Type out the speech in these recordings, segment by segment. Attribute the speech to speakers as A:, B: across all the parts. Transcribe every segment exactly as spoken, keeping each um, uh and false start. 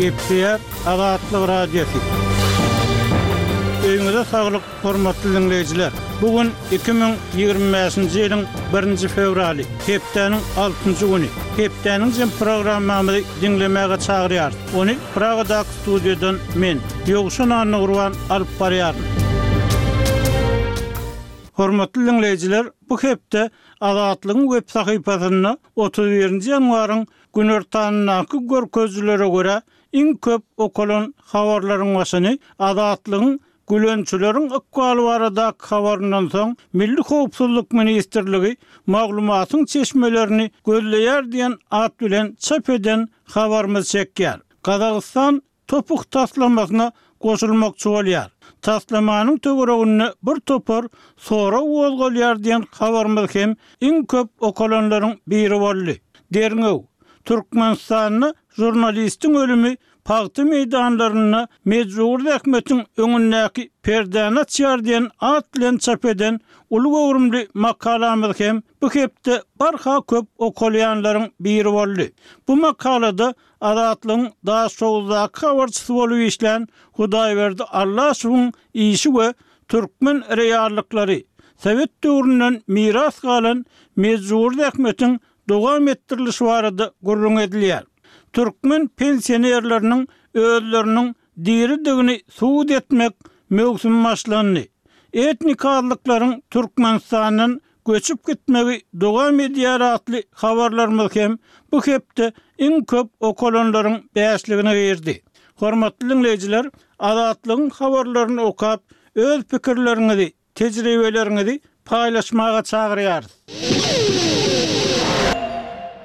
A: Gepleýär Azatlyk Radiosy. Öýüňize saglyk, hormatly diňleýjiler. Bu gün iki müň ýigrimi bäşinji ýylyň birinji fewraly, hepdäniň altynjy güni. Hepdäniň jem programmamyzy diňlemäge çagyrýarys. Ony Pragadaky studiýadan men, Ýowşan Annagurban alyp barýaryn. Hormatly diňleýjiler, bu hepde Azatlygyň web sahypasynda otuz birinji ýanwaryň günortanyndaky görkezijilere görä iň köp okalan habarlaryň başyny Azatlygyň Gülençileriň ykbaly baradaky habaryndan soň Milli howpsuzlyk ministrligi maglumatyň çeşmelerini gözleýär diýen at bilen çap eden habarymyz çekýär. Gazagystan topuk taslamasyna goşulmakçy bolýar. Taslamanyň töwereginde bir topar sorag gozgalýar diýen habarymyz hem iň köp okalanlaryň biri boldy. Derňew. Türkmenistanda žurnalistiň ölümi pagta meýdanlarynda mejbur zähmetiň öňündäki perdäni açýar diýen at bilen çap eden uly göwrümli makalamyz hem bu hepde barha köp okalýanlaryň biri boldy. Bu makalada Azatlygyň Daşoguzdaky habarçysy bolup işlän Hudaýberdi Allaşowyň işi we türkmen reallyklary, Sowet döwründen miras galan mejbur zähmetiň dowam etdirilişi barada gürrüň edilýär. Türkmen pensionerleriniň özleriniň diridigini subut etmek möwsümi başlandy. Etnik azlyklaryň Türkmenistandan göçüp gitmegi dowam edýär atly habarlarymyz hem bu hepde iň köp okalanlaryň bäşligine girdi. Hormatly diňleýjiler, Azatlygyň habarlaryny okap, öz pikirleriňizi, tejribeleriňizi paýlaşmaga çagyrýarys.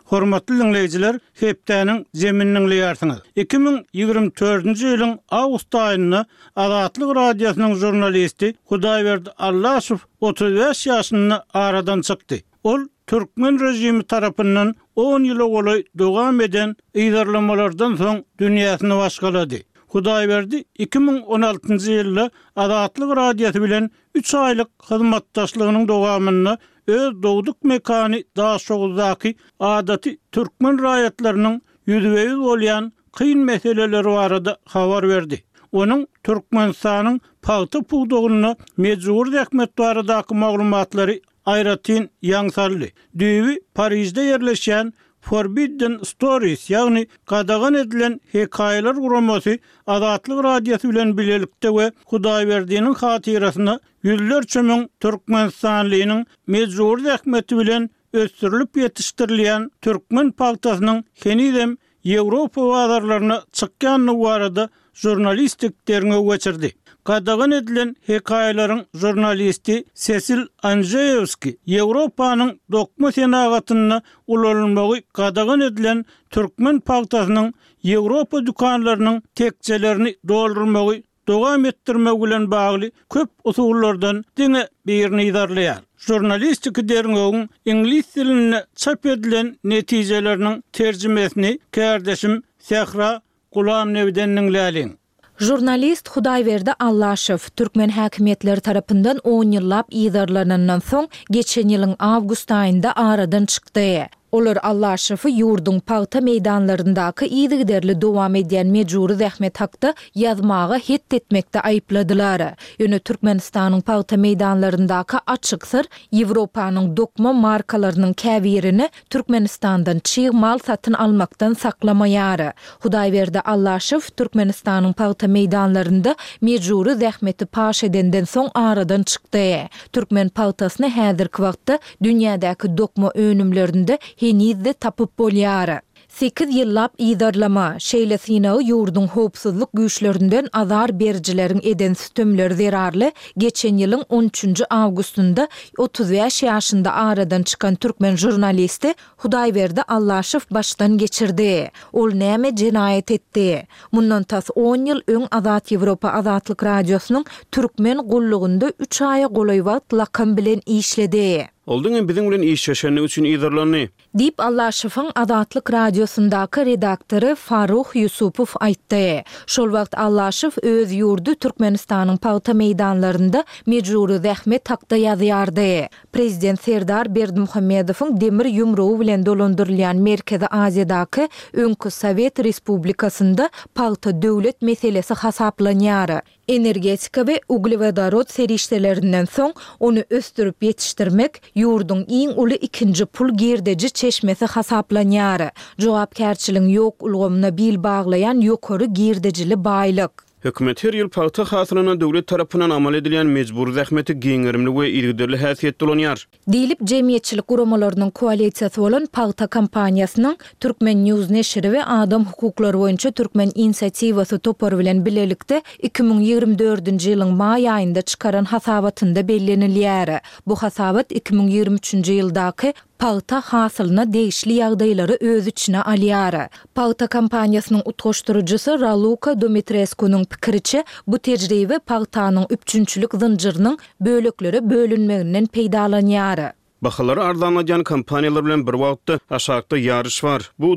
A: Hormatly diňleýjiler, hepdäniň zemini diňleýärsiňiz. Iki müň ýigrimi dördünji ýylyň awgust aýynda Azatlyk Radiosynyň žurnalisti Hudaýberdi Allaşow otuz bäş ýaşynda aradan çykdy. Ol türkmen režimi tarapyndan on ýyla golaý dowam eden yzarlamalardan soň dünýäsini başgalady. Hudaýberdi iki müň on altynjy ýylda Azatlyk Radiosy bilen üç aýlyk hyzmatdaşlygynyň dowamynda öz dogduk mekany Daşoguzdaky adaty türkmen raýatlarynyň ýüzbe-ýüz bolýan kyn meseleleri barada habar berdi. Onuň Türkmenistanyň pagta pudagynda mejbur zähmet baradaky maglumatlary aýratyn ýaň saldy. Düýbi Parižde ýerleşýän Forbidden Stories, ýagny gadagan edilen hekaýalar guramasy Azatlyk Radiosy bilen bilelikde we Hudaýberdiniň hatyrasyna ýüzlerçe müň türkmenistanlynyň mejbur zähmeti bilen ösdürilip ýetişdirilýän türkmen pagtasynyň henizem Ýewropa bazarlaryna çykýandygy barada žurnalistik derňew geçirdi. Gadagan edilen hekaýalaryň žurnalisti Sesil Anžeýewski Ýewropanyň dokma senagatynda ulanylmagy gadagan edilen türkmen pagtasynyň Ýewropa dükanlarynyň tekjelerini doldurmagy dowam etdirmek bilen bagly köp usullardan diňe birini yzarlaýar. Žurnalistiki derňewiň iňlis dilinde çap edilen netijeleriniň terjimesini kärdeşim Sähra Gulamnebiden diňläliň.
B: Žurnalist Hudaýberdi Allaşow türkmen häkimiýetleri tarapyndan on ýyllap yzarlanandan soň geçen ýylyň awgust aýynda aradan çykdy. Olar Allaşowy ýurduň pagta meýdanlaryndaky yzygiderli dowam edýän mejbury zähmet hakda ýazmaga het etmekde aýypladylar. Ýöne Türkmenistanyň pagta meýdanlaryndaky açyk syr Ýewropanyň dokma markalarynyň käbirini Türkmenistandan çig mal satyn almakdan saklamaýar. Hudaýberdi Allaşow Türkmenistanyň pagta meýdanlarynda mejbury zähmeti paş edenden soň aradan çykdy. Türkmen pagtasyny häzirki wagtda dünýädäki dokma önümlerinde henizde tapyp bolýar. Sekiz ýyllap yzarlama, şeýle synagy ýurduň howpsuzlyk güýçlerinden azar berijileriň eden sütemleri zerarly geçen ýylyň on üçünji awgustynda otuz bäş ýaşynda aradan çykan türkmen žurnalisti Hudaýberdi Allaşow başdan geçirdi. Ol näme jenaýat etdi? Mundan tas on ýyl öň Azat Ýewropa Azatlyk Radiosynyň türkmen gullugynda üç aýa golaý wagt lakam bilen işledi.
C: Ol diňe biziň bilen işleşendigi üçin yzarlandy.
B: Diýip, Allaşowyň Azatlyk Radiosyndaky redaktory Farruh Ýusupow aýtdy. Şol wagt Allaşow öz ýurdy Türkmenistanyň pagta meýdanlarynda mejbury zähmet hakda ýazýardy. Prezident Serdar Berdimuhamedowyň demir ýumrugy bilen dolandyrylýan Merkezi Aziýadaky öňki sowet respublikasynda pagta döwlet meselesi hasaplanýar. Energetika we uglewodorod serişdelerinden soň, ony ösdürip ýetişdirmek ýurduň iň uly ikinji pul girdeji çeşmesi hasaplanýar. Jogapkärçiligiň ýok ulgamyna bil baglaýan ýokary girdejili baýlyk.
C: Hökümet her ýyl pagta hasylyna döwlet tarapyndan amal edilýän mejbury zähmeti giň gerimli we yzygiderli häsiýetde ulanýar.
B: Diýlip, jemgyýetçilik guramalarynyň koalisiýasy bolan Pagta kampaniýasynyň Turkmen. News neşiri we Adam hukuklary boýunça Türkmen inisiatiwasy topary bilen bilelikde iki müň ýigrimi dördünji ýylyň maý aýynda çykaran hasabatynda bellenilýär. Bu hasabat iki müň ýigrimi üçünji ýyldaky pagta hasylyna degişli ýagdaýlary öz içine alýar. Pagta kampaniýasynyň utgaşdyryjysy Raluka Dumitreskunyň pikiriçe, bu tejribe pagtanyň üpjünçilik zynjyrynyň böleklere bölünmeginden peýdalanýar.
C: Bahalary arzanladýan kompaniýalar bilen bir wagtda aşakda ýaryş bar. Bu